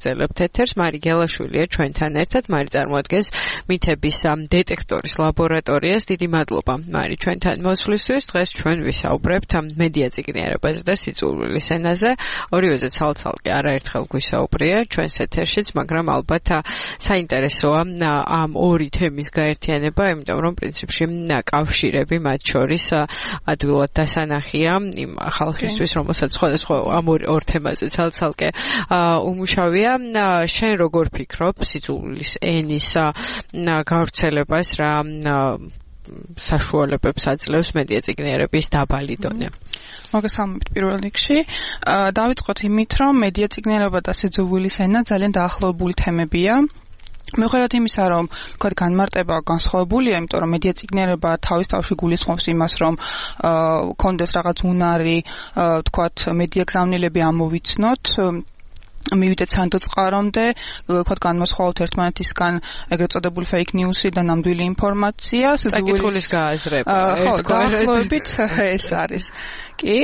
ვაგრძელებთ ეთერს. მარი გელაშვილია ჩვენთან ერთად. მარი წარმოადგენს მითების დეტექტორის ლაბორატორიას. დიდი მადლობა მარი ჩვენთან მოსვლისთვის. დღეს ჩვენ ვისაუბრებთ მედია წიგნიერებაზე და სიძულვილის ენაზე. ორივეზე ცალ-ცალკე არაერთხელ გვისაუბრია ჩვენს ეთერშიც, მაგრამ ალბათ საინტერესოა ამ ორი თემის გაერთიანება, იმიტომ რომ პრინციპში კავშირები მათ შორის ადვილად დასანახია იმ ხალხისთვის, რომელსაც სხვადასხვა ამ ორ თემაზე ცალ-ცალკე უმუშავია. შენ როგორ ფიქრობ სიძულვილის ენის გავრცელებას, რა საშუალებებს აძლევს მედია წიგნიერების დაბალი დონე? მოგესალმებით პირველ რიგში. დავიწყოთ იმით, რომ მედია წიგნიერება და სიძულვილის ენა ძალიან დაახლოებული თემებია. მიუხედავად იმისა, რომ თქვათ განმარტება განსხვავებულია, იმიტომ რომ მედია წიგნიერება თავის თავში გულისხმობს იმას, რომ კონდეს რაღაც უნარი, თქვათ მედია გზავნილები ამოვიცნოთ, მივიდეთ სანდოწყარომდე, ვთქვათ განმოსხვაოთ ერთმანეთისგან ეგრეთ წოდებული fake news-ი და ნამდვილი ინფორმაცია, საკითხulis გააზრება. ხო, დაახლოებით ეს არის. კი,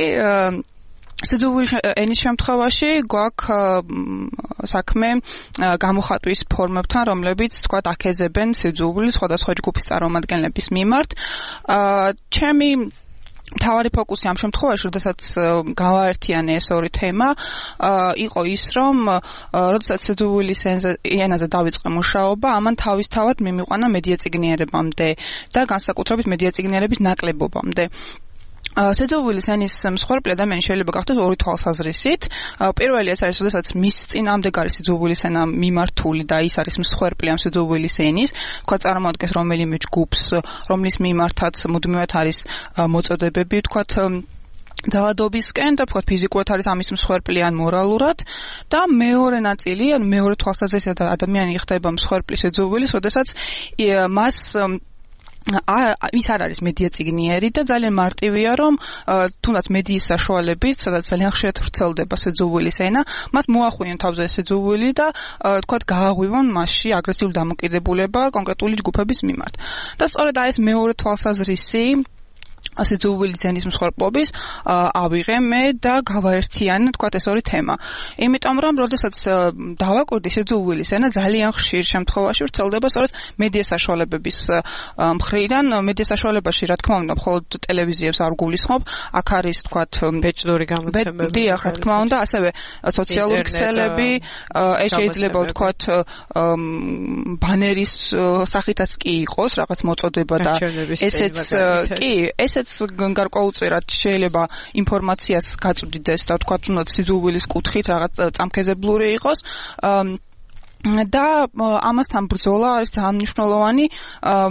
სიძულვილის ენის შემთხვევაში გვაქვს საქმე გამოხატვის ფორმებთან, რომლებიც თქვათ აქეზებენ სიძულვილის სხვადასხვა ჯგუფის წარმომადგენლების მიმართ. ჩემი მთავარი ფოკუსი ამ შემთხვევაში, როდესაც გავაერთიანე ეს ორი თემა, იყო ის, რომ როდესაც სიძულვილის ენაზე დავიწყე მუშაობა, ამან თავისთავად მიმიყვანა მედია წიგნიერებამდე და განსაკუთრებით მედია წიგნიერების ნაკლებობამდე. სიძულვილის ენის მსხვერპლი ადამიანი შეიძლება გახდეს ორი თვალსაზრისით. პირველი ეს არის, როდესაც მის წინააღმდეგ არის სიძულვილის ენა მიმართული და ის არის მსხვერპლი ამ სიძულვილის ენის, თქვა წარმოადგენს რომელიმე ჯგუფს, რომლის მიმართაც მუდმივად არის მოწოდებები, თქვათ ძალადობისკენ და თქვათ ფიზიკურად არის ამის მსხვერპლი ან მორალურად და მეორე ნაწილი, ან მეორე თვალსაზრისით ადამიანი ხდება მსხვერპლი სიძულვილის, როდესაც მას ის არ არის მედია წიგნიერი და ძალიან მარტივია, რომ თუნდაც მედიის საშუალებით, სადაც ძალიან ხშირად ვრცელდება სიძულვილის ენა, მას მოახვიენ თავზე სიძულვილი და თქვათ გააღვივონ მასში აგრესიული დამოკიდებულება კონკრეტული ჯგუფების მიმართ. და სწორედ ეს მეორე თვალსაზრისი სიძულვილის ენის მსხვერპლობის ავიღე მე და გავაერთიანე თქვათ ეს ორი თემა. იმიტომ რომ როდესაც დავაკვირდი სიძულვილის ენა ძალიან ხშირ შემთხვევაში ვრცელდება სწორედ მედია საშუალებების მხრიდან. მედია საშუალებაში რა თქმა უნდა მხოლოდ ტელევიზიებს არ გულისხმობ, აქ არის თქვათ ბეჭდური გამოცემები. დიახ, რა თქმა უნდა, ასევე სოციალური ქსელები, ეს შეიძლება თქვათ ბანერის სახითაც კი იყოს რაღაც მოწოდება და ესეც კი, ესეც გარკვეულწილად შეიძლება ინფორმაციას გაწვდიდეს და თქვათ უნდა სიძულვილის კუთხით რაღაც წამქეზებლური იყოს. და ამასთან ბრძოლა არის ძალიან მნიშვნელოვანი.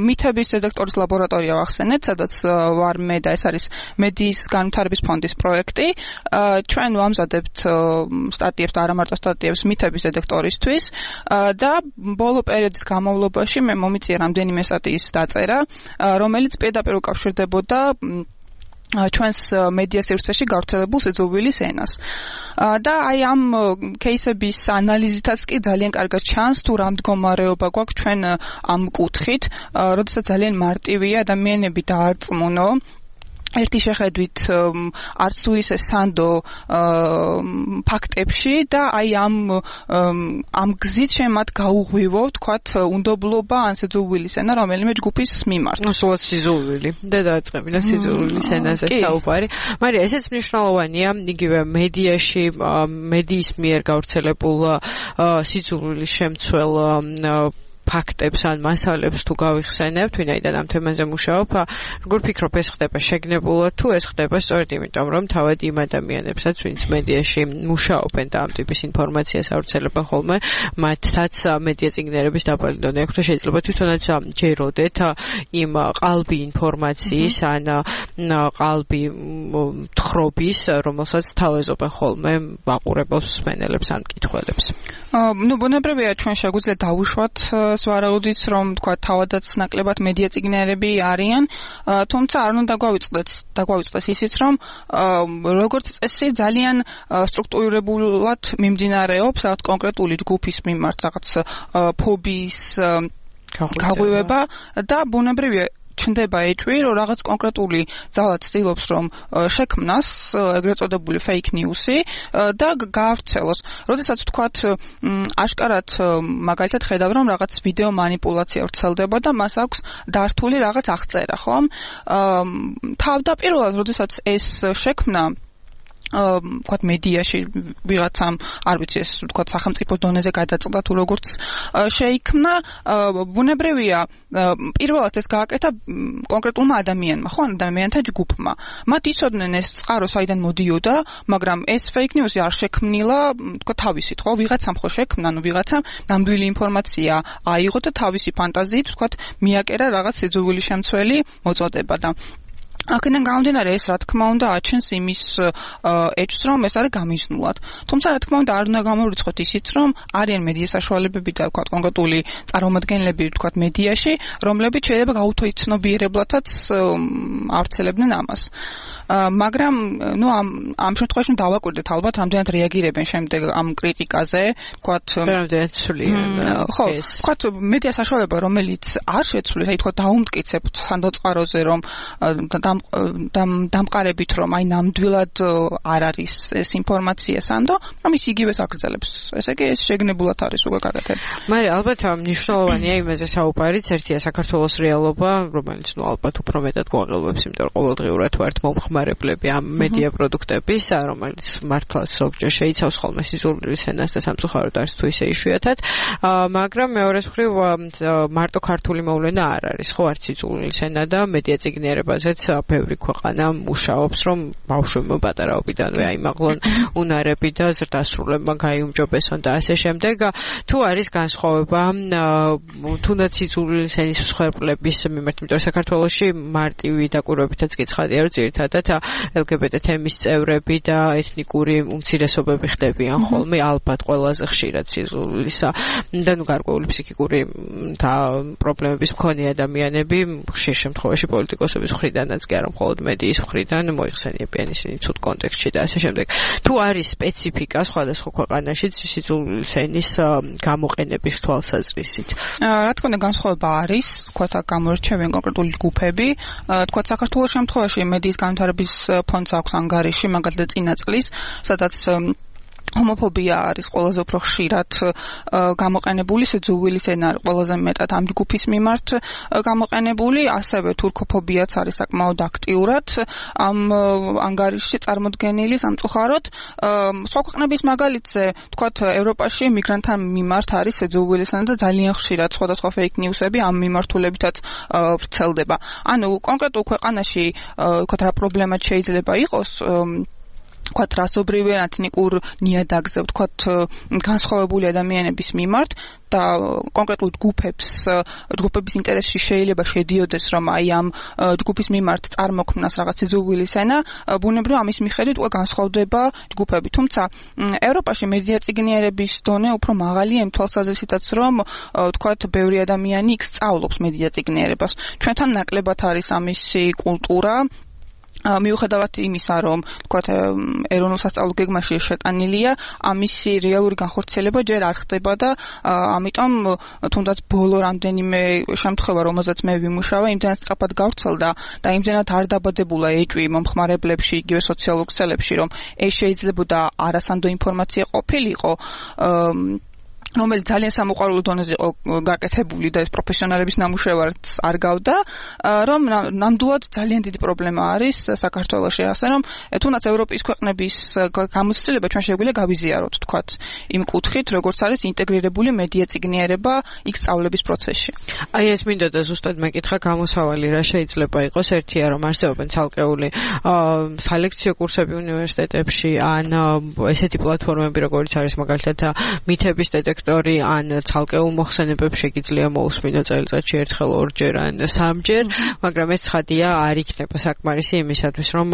მითების დეტექტორის ლაბორატორია ვახსენეთ, სადაც ვარ მე და ეს არის მედიის განვითარების ფონდის პროექტი. ჩვენ ვამზადებთ სტატიებს და არა მარტო სტატიებს მითების დეტექტორისთვის და ბოლო პერიოდის განმავლობაში მე მომიწია რამდენიმე სტატიის დაწერა, რომელიც პირდაპირ უკავშირდებოდა ჩვენს მედია სივრცეში გავრცელებულ სიძულვილის ენას. და აი ამ кейსების ანალიზითაც კი ძალიან კარგად ჩანს თუ რა მდგომარეობა გვაქვს ჩვენ ამ კუთხით, როდესაც ძალიან მარტივია ადამიანები დაარწმუნო ერთი შეხედვით არც თუ ისე სანდო ფაქტებში და აი ამ გზით შენ მათ გაუღვივო, თქვათ, უნდობლობა ან სიძულვილის ენა რომელიმე ჯგუფის მიმართ. სულაც სიძულვილი და დაწყებინა სიძულვილის ენაზე საუბარი. მაგრამ ესეც მნიშვნელოვანია იგივე მედიაში, მედიის მიერ გავრცელებულ სიძულვილის შემცველ ფაქტებს ან მასალებს თუ გავიხსენებთ, ვინაიდან ამ თემაზე მუშაობ, როგორ ფიქრობ, ეს ხდება შეგნებულად თუ ეს ხდება სწორედ იმიტომ, რომ თავად იმ ადამიანებსაც, ვინც მედიაში მუშაობენ და ამ ტიპის ინფორმაციას ავრცელებენ ხოლმე, მათაც მედია წიგნიერების დაბალი დონე აქვს და შეიძლება თვითონაც ჯეროდეთ იმ ყალბი ინფორმაციის ან ყალბი თხრობის, რომელსაც თავაზობენ ხოლმე მაყურებელს, მსმენელებს ან მკითხველებს. ბუნებრივია ჩვენ შეგვიძლია დავუშვათ ვარაუდით, რომ თქვა თავადაც ნაკლებად მედია წიგნიერები არიან, თუმცა არ უნდა დაგვავიწყდეს ისიც, რომ როგორც წესი ძალიან სტრუქტურირებულად მიმდინარეობს რაღაც კონკრეტული ჯგუფის მიმართ რაღაც ფობიის გაღვივება და ბუნებრივია ჩნდება ეჭვი, რომ რაღაც კონკრეტული ძალა ცდილობს რომ შექმნას ეგრეთ წოდებული fake news-ი და გაავრცელოს. როდესაც ვთქვათ აშკარად მაგალითად ხედავ რომ რაღაც ვიდეო манипуляცია ვრცელდება და მას აქვს დართული რაღაც აღწერა, ხო? თავდაპირველად როდესაც ეს შექმნა ვთქვათ მედიაში ვიღაცამ არ ვიცი ეს ვთქვათ სახელმწიფო დონეზე გადაწყდა თუ როგორც შეიქმნა ბუნებრივია პირველად ეს გააკეთა კონკრეტულმა ადამიანმა ხო ადამიანთა ჯგუფმა მათ იცოდნენ ეს წყარო საიდან მოდიოდა მაგრამ ეს fake news-ი არ შექმნილა ვთქვათ თავისით ხო ვიღაცამ ხო შექმნა ანუ ვიღაცამ ნამდვილი ინფორმაცია აიღო და თავისი ფანტაზიით ვთქვათ მიაკერა რაღაც სიძულვილი შემცველი მოწოდება და აქედან გამომდინარე ეს რა თქმა უნდა აჩენს იმის ეჭვს რომ ეს არის გამიზნულად. თუმცა რა თქმა უნდა არ უნდა გამოვიწყოთ ისიც რომ არიან მედია საშუალებები და ვთქვათ კონკრეტული წარმომადგენლები ვთქვათ მედიაში რომლებიც შეიძლება გაუთოიცნობიერებლათაც ავრცელებდნენ ამას. მაგრამ ნუ ამ შემთხვევაში დავაკვირდეთ ალბათ რამდენად რეაგირებენ შემდეგ ამ კრიტიკაზე ვთქვათ რამდენად სულიან ხო ვთქვათ მედია საშუალება რომელიც არ შეცვლით აი ვთქვათ დაუმტკიცებთ სანდოწყაროზე რომ დამყარებით რომ აი ნამდვილად არ არის ეს ინფორმაცია სანდო რომ ის იგივეს აგრძელებს ესე იგი ეს შეგნებულად არის უკვე გაკეთებული მაგრამ ალბათ მნიშვნელოვანია იმაზე საუბარიც ერთია საქართველოს რეალობა რომელიც ნუ ალბათ უფრო მეტად გვაღელვებს იმიტომ რომ ყოველდღიურად ვართ მომხმარებლები ამ მედია პროდუქტების რომელიც მართლა ზოგჯერ შეიცავს ხოლმე სიზურვილის ენას და სამწუხაროდ არის თუ ისე იშვიათად მაგრამ მეორეს მხრივ მარტო ქართული მოვლენა არ არის ხო არც სიზურვილის ენა და მედია წიგნიერებაზეც ბევრი ქვეყანა მუშაობს რომ ბავშვებმა პატარაობიდანვე აიმაღლონ უნარები და ზრდასრულებმა გაიუმჯობესონ და ასე შემდეგ თუ არის განსხვავება თუნდაც სიზურვილის ენის მსხვერპლების მიმართ იმიტომ რომ საქართველოში მარტივი დაკვირვებითაც გიცხადია რომ ძირითადად LGBT თემის წევრები და ეთნიკური უმცირესობები ხდებიან ხოლმე ალბათ ყველაზე ხშირად სიზურვილისა და ნუ გარკვეული ფსიქიკური და პრობლემების მქონე ადამიანები ხშირ შემთხვევაში პოლიტიკოსების მხრიდანაც კი არა მხოლოდ მედიის მხრიდან მოიხსენიებიან ისინი ცუდ კონტექსტში და ასე შემდეგ თუ არის სპეციფიკა სხვადასხვა ქვეყანაში სიზურვილის ენის გამოყენების თვალსაზრისით რა თქმა უნდა განსხვავება არის თქვათ გამორჩევენ კონკრეტული ჯგუფები თქვათ საქართველოს შემთხვევაში მედიის განვითარების ფონდს აქვს ანგარიში მაგალითად წინა წლის სადაც ჰომოფობია არის ყველაზე უფრო ხშირად გამოყენებული სიძულვილის ენა ყველაზე მეტად ამ ჯგუფის მიმართ გამოყენებული ასევე თურქოფობიაც არის საკმაოდ აქტიურად ამ ანგარიშში წარმოდგენილი სამწუხაროდ სხვა ქვეყნების მაგალითზე თქვათ ევროპაში მიგრანტთა მიმართ არის სიძულვილის ენა და ძალიან ხშირად სხვადასხვა fake news-ები ამ მიმართულებითაც ვრცელდება ანუ კონკრეტულ ქვეყანაში თქვათ რა პრობლემა შეიძლება იყოს ვთქვათ რასობრივი ეთნიკურ ნიადაგზე ვთქვათ განსხვავებული ადამიანების მიმართ და კონკრეტულ ჯგუფების ინტერესში შეიძლება შედიოდეს რომ აი ამ ჯგუფის მიმართ წარმოქმნას რაღაც სიძულვილის ენა ბუნებრივ ამის მიხედვით უკვე განსხვავდება ჯგუფები თუმცა ევროპაში მედია წიგნიერების დონე უფრო მაღალია იმ თვალსაზრისითაც რომ ვთქვათ ბევრი ადამიანი იქ სწავლობს მედია წიგნიერებას ჩვენთან ნაკლებად არის ამისი კულტურა მიუხედავად იმისა, რომ თქვათ ეროვნულ სასწავლო გეგმაში შეტანილია, ამისი რეალური განხორციელება ჯერ არ ხდება და ამიტომ თუნდაც ბოლო რამდენიმე შემთხვევა, რომელზეც მე ვიმუშავე, იმდენად სწრაფად გავრცელდა და იმდენად არ დაბადებულა ეჭვი მომხმარებლებში, იგივე სოციალურ ქსელებში, რომ ეს შეიძლებოდა არასანდო ინფორმაცია ყოფილიყო რომელიც ძალიან სამოყვარულო დონეზე იყო გაკეთებული და ეს პროფესიონალების ნამუშევარს არ გავდა, რომ ნამდვილად ძალიან დიდი პრობლემა არის საქართველოში, ასე რომ თუნდაც ევროპის ქვეყნების გამოცდილება ჩვენ შეგვიძლია გავიზიაროთ, თქვათ, იმ კუთხით, როგორც არის ინტეგრირებული მედია წიგნიერება იქ სწავლების პროცესში. აი ეს მინდოდა ზუსტად მეკითხა გამოსავალი რა შეიძლება იყოს, ერთია რომ არსებობენ ცალკეული სალექციო კურსები უნივერსიტეტებში, ან ესეთი პლატფორმები, როგორც არის მაგალითად მითების დეტექტორი, ან ცალკეულ მოხსენებებს შეგიძლია მოусმინო წელიწადში ერთხელ, ორჯერ ან სამჯერ, მაგრამ ეს ცხადია არ იქნება საკმარისი იმისათვის, რომ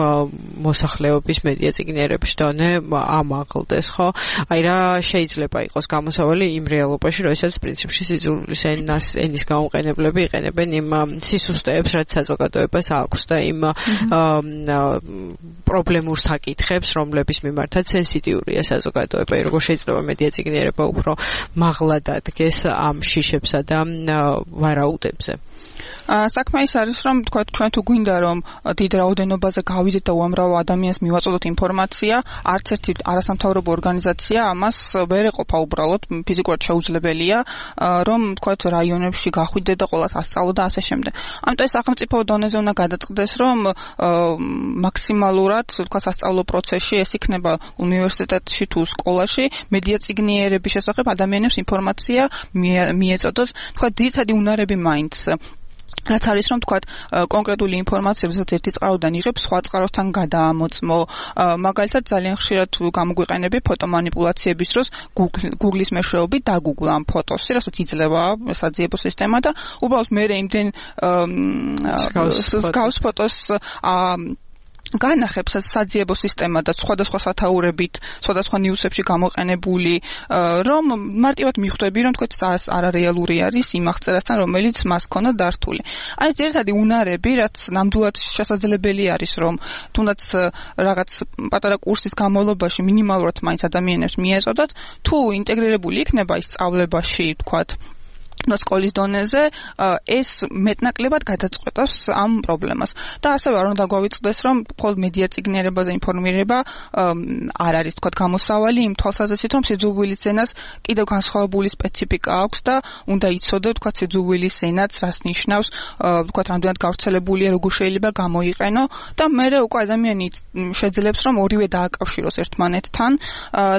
მოსახლეობის მედია წიგნიერების დონე ამაღლდეს, ხო? აი რა შეიძლება იყოს გამოსავალი იმ რეალობაში, როდესაც პრინციპში სიძულვილის ენის გამოყენებლები იყენებენ იმ სისუსტეებს, რაც საზოგადოებას აქვს და იმ პრობლემურ საკითხებს, რომლების მიმართაც სენსიტიურია საზოგადოება, როგორ შეიძლება მედია წიგნიერება უფრო მაღლად ადგეს ამ შიშებსა და ვარაუდებზე. საქმე ის არის, რომ თქვა ჩვენ თუ გვინდა რომ დიდ რაოდენობაზე გავიდეთ და უამრავ ადამიანს მივაწოდოთ ინფორმაცია, არც ერთი არასამთავრობო ორგანიზაცია ამას ვერ ეყოფა უბრალოდ, ფიზიკურად შეუძლებელია, რომ თქვა რაიონებში გახვიდე და ყველას ასწავლო და ასე შემდეგ. ამიტომ ეს სახელმწიფო დონეზე უნდა გადაწყდეს, რომ მაქსიმალურად თქვა სასწავლო პროცესში ეს იქნება უნივერსიტეტში თუ სკოლაში მედია წიგნიერების შესახებ ადამიანებს ინფორმაცია მიეწოდოთ, თქვა ძირითადი უნარები მაინც რაც არის რომ თქვა კონკრეტული ინფორმაცია ვისაც ერთი წყაროდან იღებს სხვა წყაროსთან გადაამოწმო მაგალითად ძალიან ხშირად გამოგვიყენები ფოტომანიპულაციების დროს Google-ის მეშვეობით დაგუგლო ამ ფოტოს რასაც იძლევა საძიებო სისტემა და უბრალოდ მე იმდენ გავს ფოტოს განახებს საძიებო სისტემა და სხვადასხვა სათაურებით, სხვადასხვა ნიუსებში გამოყენებული, რომ მარტივად მიხვდები, რომ თქვა ეს არარეალური არის იმ აღწერასთან, რომელიც მას ქონდა დართული. აი ეს ერთადი უნარები, რაც ნამდვილად შესაძლებელი არის, რომ თუნდაც რაღაც პატარა კურსის განმავლობაში მინიმალურად მაინც ადამიანებს მიეწოდოთ, თუ ინტეგრირებული იქნება ის სწავლებაში, თქვა სკოლის დონეზე ეს მეტნაკლებად გადაწყვეტავს ამ პრობლემას. და ასევე არ უნდა გვავიწყდეს, რომ მხოლოდ მედია წიგნიერებაზე ინფორმირება არ არის თქვა გამოსავალი იმ თვალსაზრისით, რომ სიძულვილის ენას კიდევ განსხვავებული სპეციფიკა აქვს და უნდა იცოდეთ თქვა სიძულვილის ენაც რას ნიშნავს, თქვა რამდენად გავრცელებულია, როგორ შეიძლება გამოიყენო და მე უკვე ადამიანი შეძლებს, რომ ორივე დააკავშიროს ერთმანეთთან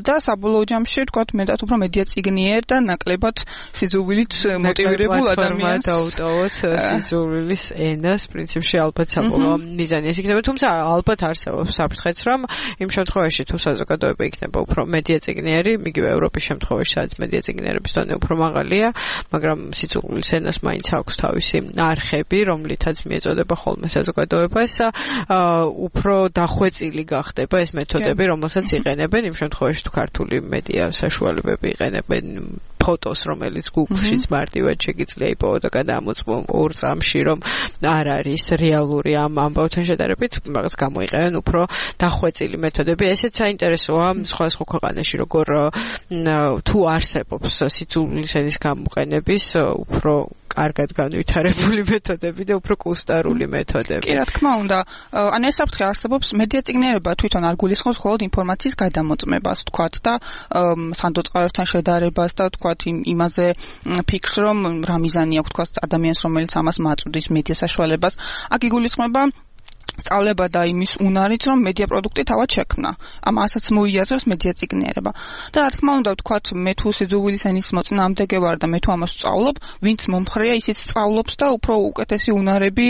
და საბოლოო ჯამში თქვა მეტად უფრო მედია წიგნიერ და ნაკლებად სიძულვილით მოტივირებულ ადამიანს დაუტოვოთ სიძულვილის ენას პრინციპში ალბათ საბოლოო მიზანი ეს იქნება თუმცა ალბათ არსებობს საფრთხეც რომ იმ შემთხვევაში თუ საზოგადოება იქნება უფრო მედია წიგნიერი იგივე ევროპის შემთხვევაში სადაც მედია წიგნიერების დონე უფრო მაღალია მაგრამ სიძულვილის ენას მაინც აქვს თავისი არხები რომლითაც მიეწოდება ხოლმე საზოგადოებას უფრო დახვეწილი გახდება ეს მეთოდები რომელსაც იყენებენ იმ შემთხვევაში თუ ქართული მედია საშუალებები იყენებენ ფოტოს რომელიც Google-შიც მარტივად შეგიძლია იპოვო და გადაამოწმო ორ წამში რომ არ არის რეალური ამ ამბავთან შედარებით რაღაც გამოიყენენ უფრო დახვეწილი მეთოდები ესეც საინტერესოა სხვადასხვა ქვეყანაში როგორ თუ არსებობს სიძულვილის ენის გამოყენების უფრო კარგად განვითარებული მეთოდები და უფრო კუსტარული მეთოდები. კი, რა თქმა უნდა. ან ეს საფრთხე არსებობს მედია წიგნიერება თვითონ არ გულისხმობს მხოლოდ ინფორმაციის გადამოწმებას, თქვათ და სანდოწყაროსთან შედარებას და თქვათ იმაზე ფიქრს, რომ რა მიზანი აქვს თქვათ ადამიანს, რომელიც ამას მაწვდის მედია საშუალებას. აქ იგულისხმება სწავლება და იმის უნარით, რომ მედია პროდუქტი თავად შექმნა. ამასაც მოიაზრებს მედია წიგნიერება. და რა თქმა უნდა, ვთქვათ, მე თუ სიძულვილის ენის მოწინააღმდეგე ვარ და მე თუ ამას ვსწავლობ, ვინც მომხრეა, ისიც სწავლობს და უფრო უკეთესი უნარები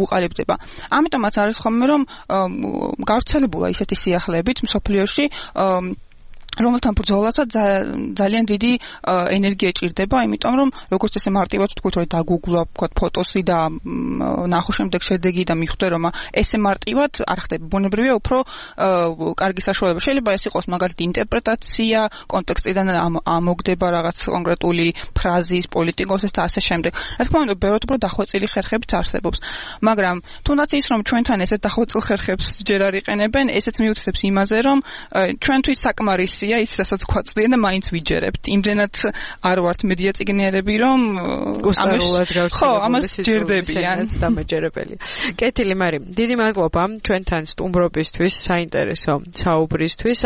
უყალიბდება. ამიტომაც არის ხოლმე, რომ გავრცელებულა ისეთი სიახლეებით მსოფლიოში, რომელთან ბრძოლასაც ძალიან დიდი ენერგია ჭირდება, იმიტომ რომ როგორც ესე მარტივად ვთქვით, რომ დაგუგლო, ვთქვათ, ფოტოსი და ნახო შემდეგ შედეგი და მიხვდე, რომ ესე მარტივად არ ხდება. ბუნებრივია უფრო კარგი საშუალება. შეიძლება ეს იყოს მაგალითად ინტერპრეტაცია, კონტექსტიდან ამოგდება რაღაც კონკრეტული ფრაზის, პოლიტიკოსის და ასე შემდეგ. რა თქმა უნდა, ბევრად უფრო დახვეწილი ხერხებიც არსებობს. მაგრამ თუნდაც ის რომ ჩვენთან ესეთ დახვეწილ ხერხებს ჯერ არ იყენებენ, ესეც მიუთითებს იმაზე, რომ ჩვენთვის საკმარისი ის რასაც გვაწვდიან და მაინც ვიჯერებთ. იმდენად არ ვართ მედია წიგნიერები, რომ გუსტარულად გავცნობთ. ხო, ამას ჯერდებიან. დამაჯერებელი. კეთილი მარი, დიდი მადლობა ჩვენთან სტუმრობისთვის, საინტერესო საუბრისთვის.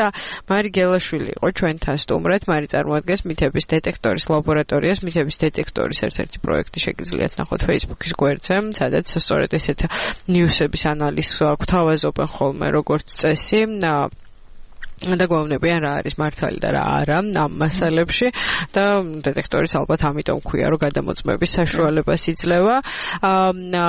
მარი გელაშვილი იყო ჩვენთან სტუმრად. მარი წარმოადგენს მითების დეტექტორის ლაბორატორიას, მითების დეტექტორის ერთ-ერთი პროექტი შეგიძლიათ ნახოთ Facebook-ის გვერდზე, სადაც სწორედ ესეთ ნიუსების ანალიზს გვთავაზობენ ხოლმე როგორც წესი. და გვავნებიან რა არის მართალი და რა არა ამ მასალებში და დეტექტორის ალბათ ამიტომ ქვია რომ გადამოწმების საშუალებას იძლევა